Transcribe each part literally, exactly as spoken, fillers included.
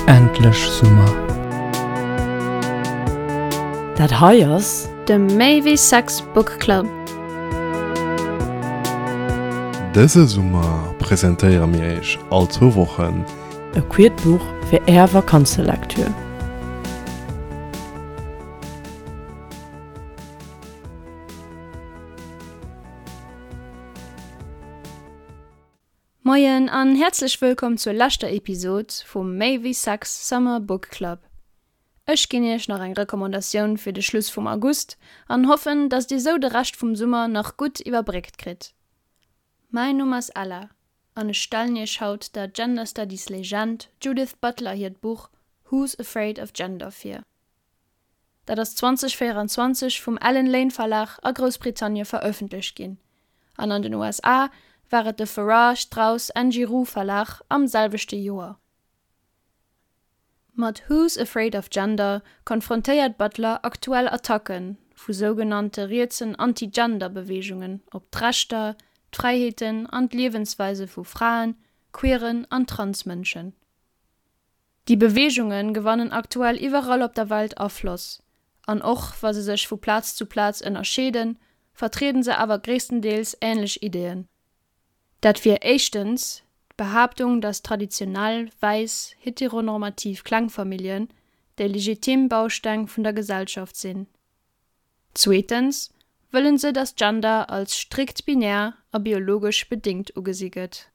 Endlech Summer! Dat hei ass. De Méi wéi Sex Book Club. Dëse Summer presentéiere mir iech all zwou Wochen. E queert Buch fir är Vakanzelektür. Moien an häerzlech wëllkomm zur leschter Episod vum Méi wéi Sex Summer Book Club. Ech ginn iech nach eng Recommandatioun fir de Schluss vum August an hoffen, dass dir sou de Rescht vum Summer nach gutt iwwerbréckt kritt. Mäin Numm ass Ella an ech stellen iech haut der Gender Studies Legend Judith Butler hiert Buch Who's Afraid of Gender vir. Dat ass zwanzeg véieranzwanzeg vum Allen Lane Verlag a Groussbritannie verëffentlecht ginn an an den U S A war et de Farrar, Straus and Giroux Verlag am selwechte Joer. Mat Who's Afraid of Gender konfrontéiert Butler aktuell Attacke vu sougenannte rietsen Anti-Gender-Beweegungen op d'Rechter, d'Fräiheeten an d'Liewensweise vu Fraen, queeren an Transmënschen. Déi Beweegunge gewannen aktuell iwwerall op der Welt Afloss, an och wa se sech vu Plaz zu Plaz ënnerscheeden, vertrieden se awer gréisstendeels änlech Ideeën. Dat wier éischtens d'Behaaptung, dass traditionell, wäiss, heteronormativ Klengfamilljen déi legitim Bausteng vun der Gesellschaft sinn. Zweetens wëllen se, dass Gender als strikt binär a biologesch bedingt ugesi gëtt.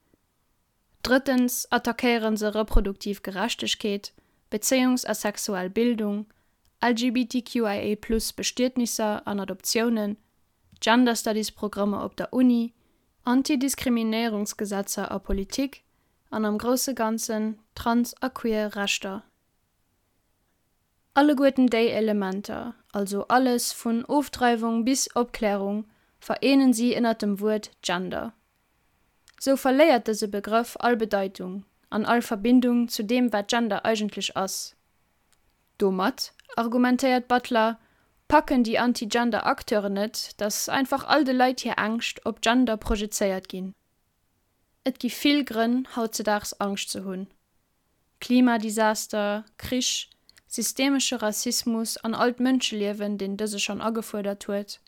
Drëttens attackéieren se reproduktiv Gerechtegkeet, Bezéiungs- a sexuell Bildung, L G B T Q I A plus Bestietnisser an Adoptiounen, Gender Studies Programmer op der Uni, Antidiskriminéierungsgesetzer a Politik an am grousse Ganzen trans- a queer Rechter. Alleguerten déi Elementer, also alles vun Ofdreiwung bis Opklärung, vereenen si ënner dem Wuert Gender. Sou verléiert dëse Begrëff all Bedeitung an all Verbindung zu deem, wat Gender eigentlech ass. Domat, argumentéiert Butler, packen déi Anti-Gender-Acteuren net, dass einfach all de Leit hir Ängscht op Gender projezéiert ginn. Et gi vill Grënn, hautzedaags Angscht ze hunn. Klimadesaster, Krich, systemesche Rassismus an all d'Mënscheliewen, deen dëse schonn agefuerdert huet,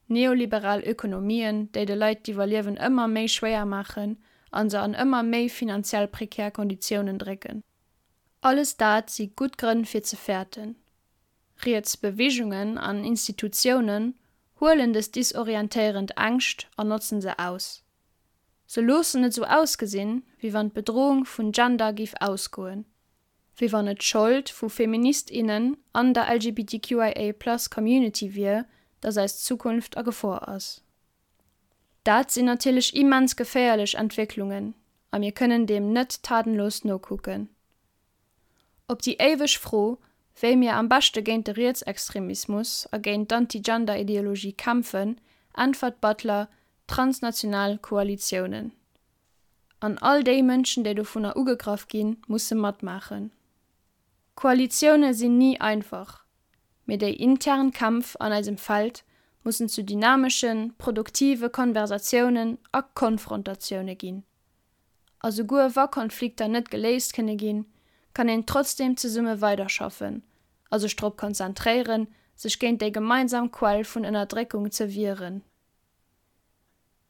neoliberal Ökonomien, déi de Leit d'Iwwerliewen ëmmer méi schwéier maachen an se an ëmmer méi finanziell prekär Konditiounen drécken. Alles dat si gutt Grënn fir ze fäerten. Riets Beweegungen an Institutiounen huelen dës disorientéierend Ängscht an notzen se aus. Se loossen et sou ausgesinn, wéi wann d'Bedrohung vun Gender géif ausgoen, wéi wann et d'Schold vu FeministInnen an der L G B T Q I A plus Community wier, dass eis Zukunft a Gefor ass. Dat sinn natierlech immens geféierlech Entwécklungen, a mir kënnen deem net tatenlos nokucken. Op déi éiweg Fro, wéi mir am beschte géint de Rietsextremismus a géint d'Anti-Gender-Ideologie kämpfen, äntwert Butler transnational Koalitiounen. An all déi Mënschen, déi dovunner ugegraff ginn, musse matmaachen. Koalitioune sinn ni einfach, mee déi intern Kämpf an eisem Feld mussen zu dynameschen, produktive Konversatiounen a Konfrontatioune ginn. A souguer wa Konflikter net geléist kënne ginn, kann een trotzdem zesumme weiderschaffen, a sech drop konzentréieren, sech géint déi gemeinsam Quell vun Ënnerdréckung ze wieren.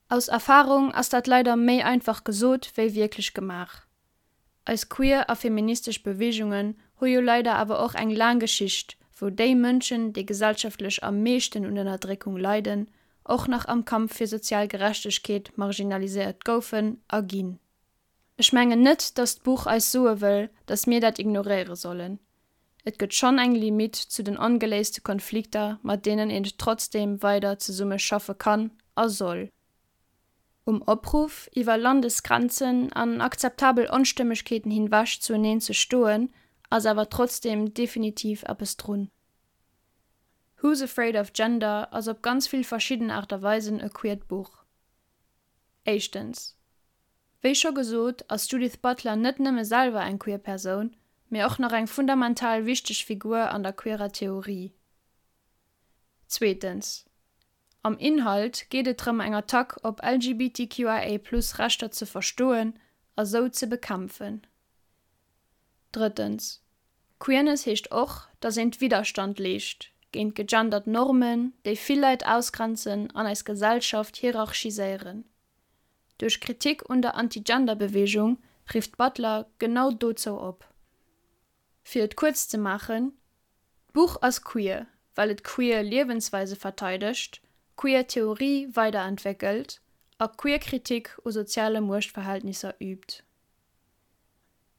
Aus Erfahrung ass dat leider méi einfach gesot, wéi wierklech gemaach. Eis queer a feministesch Beweegungen hu jo leider awer och eng laang Geschicht, wou déi Mënschen, déi gesellschaftlech am meeschten un Ënnerdréckung leiden, och nach am Kampf fir sozial Gerechtegkeet marginaliséiert goufen a ginn. Ech mengen net, dass d'Buch eis soe wëll, dass mir dat ignoréiere sollen. Et gëtt schonn eng Limit zu den ongeléiste Konflikter, mat deenen een trotzdem weider zesumme schaffe kann a soll. Um Opruff, iwwer Landesgrenzen an akzeptabel Onstëmmegkeeten hinwech zueneen ze stoen, ass awer trotzdem definitiv eppes drun. Who's Afraid of Gender ass op ganz vill verschidden Aart a Weisen e queert Buch. Éischtens. Wéi scho gesot, ass Judith Butler net nëmme selwer eng queer Persoun, mee och nach eng fundamental wichteg Figur an der queerer Theorie. Zweetens. Am Inhalt geet et drëm, eng Attack op L G B T Q I A plus Rechter ze verstoen a sou ze bekämpfen. Drëttens, Queerness heescht och, dass een Widderstand leescht géint gegendert Normen, déi vill Leit ausgrenzen an eis Gesellschaft hierarchiséieren. Duerch Kritik un der Anti-Gender-Beweegung rifft d'Butler genau dozou op. Fir et kuerz ze maachen, D'Buch ass queer, well et queer Liewensweise verteidegt, queer Theorie weiderentwéckelt a queer Kritik u soziale Muechtverhältnisser üübt.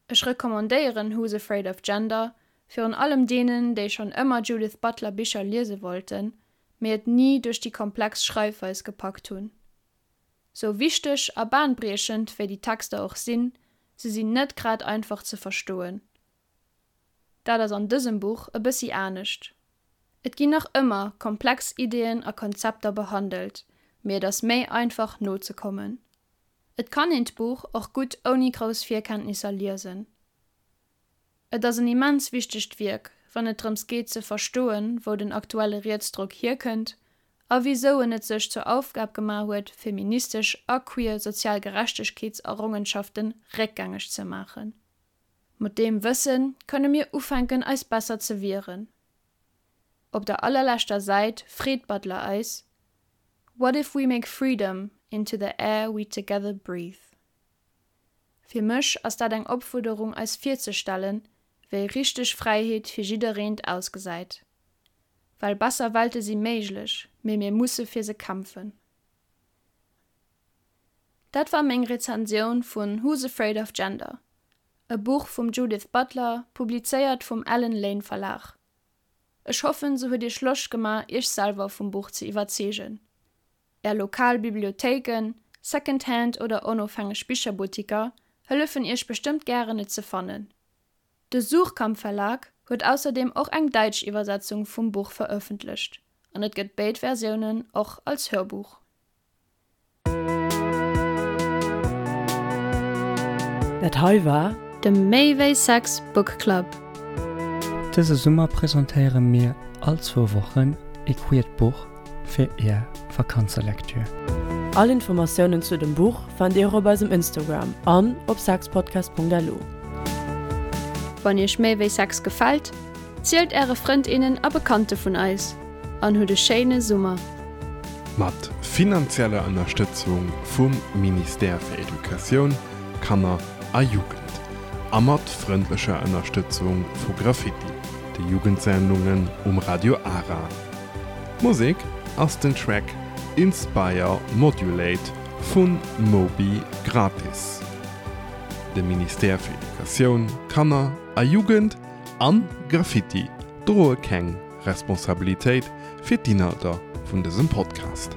Ech recommandéieren Who's Afraid of Gender virun allem deenen, déi schonn ëmmer Judith Butler Bicher liese wollten, mee et ni duerch déi komplex Schreifweis gepackt hunn. Sou wichteg a bahnbriechend wéi déi Texter och sinn, se sinn net grad einfach ze verstoen. Dat ass an dësem Buch e bëssi anescht. Et ginn nach ëmmer komplex Ideeën a Konzepter behandelt, mee et ass méi einfach nozekommen. Et kann een d'Buch och gutt ouni grouss Virkenntnisser liesen. Et ass en immens wichtegt Wierk, wann et drëms geet ze verstoen, wou den aktuelle Rietsdrock hierkënnt a wisou en et sech zur Aufgab gemaach huet, feministesch a queer sozial Gerechtegkeetserrongenschaften réckgängeg ze maachen. Mat deem Wësse kënne mir ufänken eis besser ze wieren. Op der allerleschter Säit freet d'Butler eis, What if we make freedom into the air we together breathe? Fir mech ass dat eng Opfuerderung eis virzestellen, wéi richteg Fräiheet fir jiddereent ausgesäit. Well besser Welte si méiglech, mee mir musse fir se kämpfen. Dat war meng Rezensioun vun Who's Afraid of Gender? E Buch vum Judith Butler, publizéiert vum Allen Lane Verlag. Ech hoffen, se huet iech Loscht gemaach, iech selwer vum Buch ze iwwerzeegen. Är lokal Bibliothéiken, Secondhand oder onofhängeg Bicherbuttiker hëllefen iech bestëmmt gären et ze fannen. De Suhrkamp Verlag huet ausserdeem och eng däitsch Iwwersetzung vum Buch verëffentlecht an et gëtt béid Versiounen och als Hörbuch. Dat hei war De Méi wéi Sex Book Club. Dëse Summer presentéiere mir all zwou Wochen e queert Buch fir är Vakanzelektür. All Informatiounen zu dem Buch fannt dir op eisem Instagram an op sexpodcast Punkt L U. Wann iech Méi wéi Sex gefält, zielt äre Frënd, innen a Bekannte vun eis an hutt e schéine Summer. Mat finanzieller Ënnerstëtzung vum Ministère fir Educatioun, Kanner a Jugend a mat frëndlecher Ënnerstëtzung vu Graffiti, de Jugendsendungen um Radio Ara. Musek ass den Track Inspire Modulate vun Moby Gratis. De Ministère fir Educatioun, Kanner a Jugend an Graffiti droe keng Responsabilitéit fir d'Inhalter vun dësem Podcast.